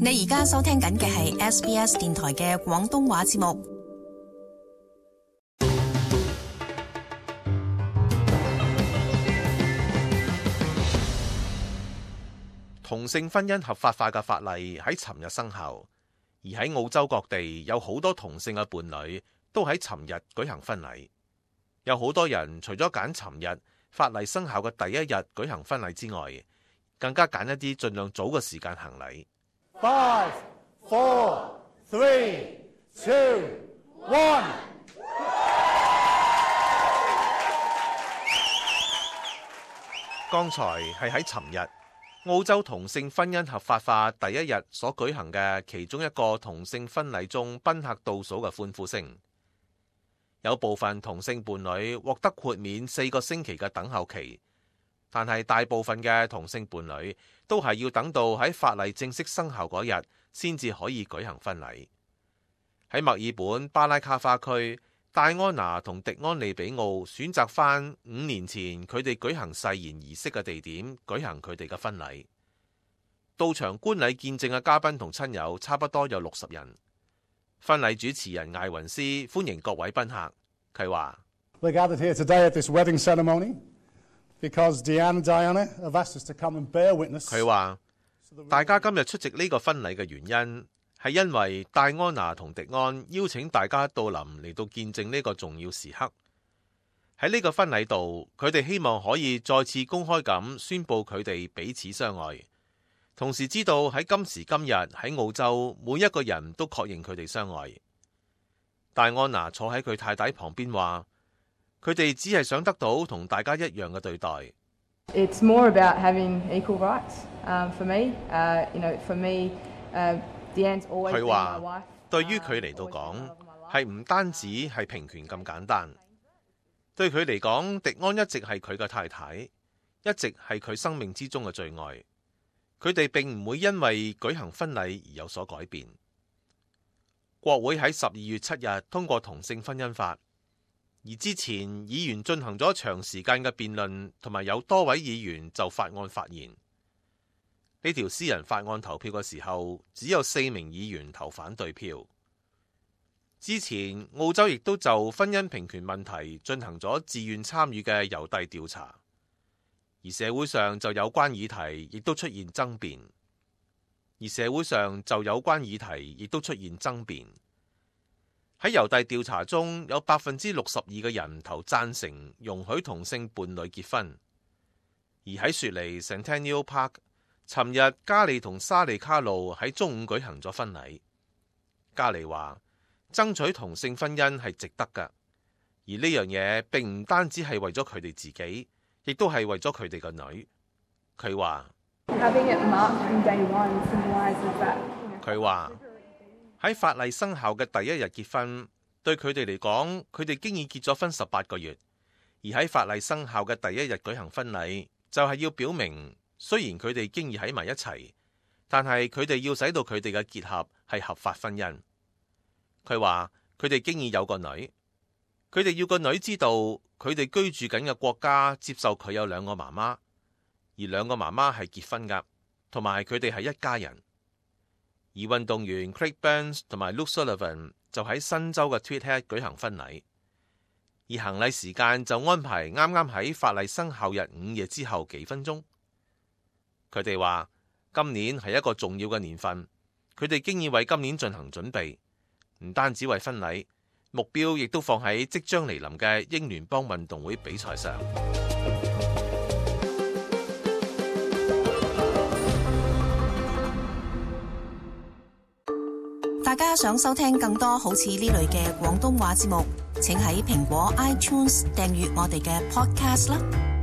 你而家收聽緊嘅係 SBS 電台嘅廣東話節目。同性婚姻合法化嘅法例喺尋日生效，而喺澳洲各地有好多同性嘅伴侶都喺尋日舉行婚禮。有好多人除咗揀尋日法例生效嘅第一日舉行婚禮之外，更加揀一啲盡量早嘅時間行禮。5, 4, 3, 2, 1。剛才係喺尋日澳洲同性婚姻合法化第一日所舉行嘅其中一個同性婚禮中賓客倒數嘅歡呼聲。有部分同性伴侶獲得豁免4個星期嘅等候期，但係大部分嘅同性伴侶都係要等到喺法例正式生效嗰日先至可以舉行婚禮。喺墨爾本巴拉卡花區，戴安娜同迪安利比奧選擇返5年前佢哋舉行誓言儀式嘅地點舉行佢哋嘅婚禮。到場觀禮見證嘅嘉賓同親友差不多有60人。婚禮主持人艾雲斯歡迎各位賓客，佢話：We're gathered here today at this wedding ceremony because Deanne and Diana have asked us to come and bear witness。佢話大家今日出席呢個婚禮嘅原因係因為戴安娜同迪安邀請大家到臨嚟到見證呢個重要時刻。喺呢個婚禮度，佢哋希望可以再次公開咁宣佈佢哋彼此相愛。同時知道喺今時今日喺澳洲，每一個人都確認佢哋相愛。戴安娜坐喺佢太太旁邊話：佢哋只係想得到同大家一樣嘅對待。It's more about having equal rights. For me, for me, Deanne's always been my wife. 對於佢嚟到講，係唔單止係平權咁簡單。對佢嚟講，迪安一直係佢嘅太太，一直係佢生命之中嘅最愛。佢哋並唔會因為舉行婚禮而有所改變。國會喺12月7日通過同性婚姻法，而之前議員進行咗長時間嘅辯論，同埋有多位議員就法案發言。呢條私人法案投票嘅時候，只有4名議員投反對票。之前澳洲亦都就婚姻平權問題進行咗自願參與嘅郵遞調查。而社會上就有關議題亦都出現爭辯，喺郵遞調查中有62%嘅人投贊成容許同性伴侶結婚。而喺雪梨 Centennial Park， 尋日加利同沙利卡路喺中午舉行咗婚禮。加利話爭取同性婚姻係值得㗎，而呢樣嘢並唔單止係為咗佢哋自己，亦都係為咗佢哋個女。佢話喺法例生效嘅第一日結婚，對佢哋嚟講，佢哋經已結咗婚18個月，而喺法例生效嘅第一日舉行婚禮，就係要表明雖然佢哋經已喺埋一齊，但係佢哋要使到佢哋嘅結合係合法婚姻。佢話佢哋經已有個女，佢哋要個女知道佢哋居住緊嘅國家接受佢有2個媽媽，而2個媽媽係結婚㗎，同埋佢哋係一家人。而運動員 Craig Burns 同埋 Luke Sullivan 就喺新州嘅 Tweed Head 舉行婚禮，而行禮時間就安排啱啱喺法例生效日午夜之後幾分鐘。佢哋話今年係一個重要嘅年份，佢哋經已為今年進行準備，唔單止為婚禮，目標亦都放喺即將嚟臨嘅英聯邦運動會比賽上。大家想收聽更多好似呢類嘅廣東話節目，請喺蘋果 iTunes 訂閱我哋嘅 podcast 啦。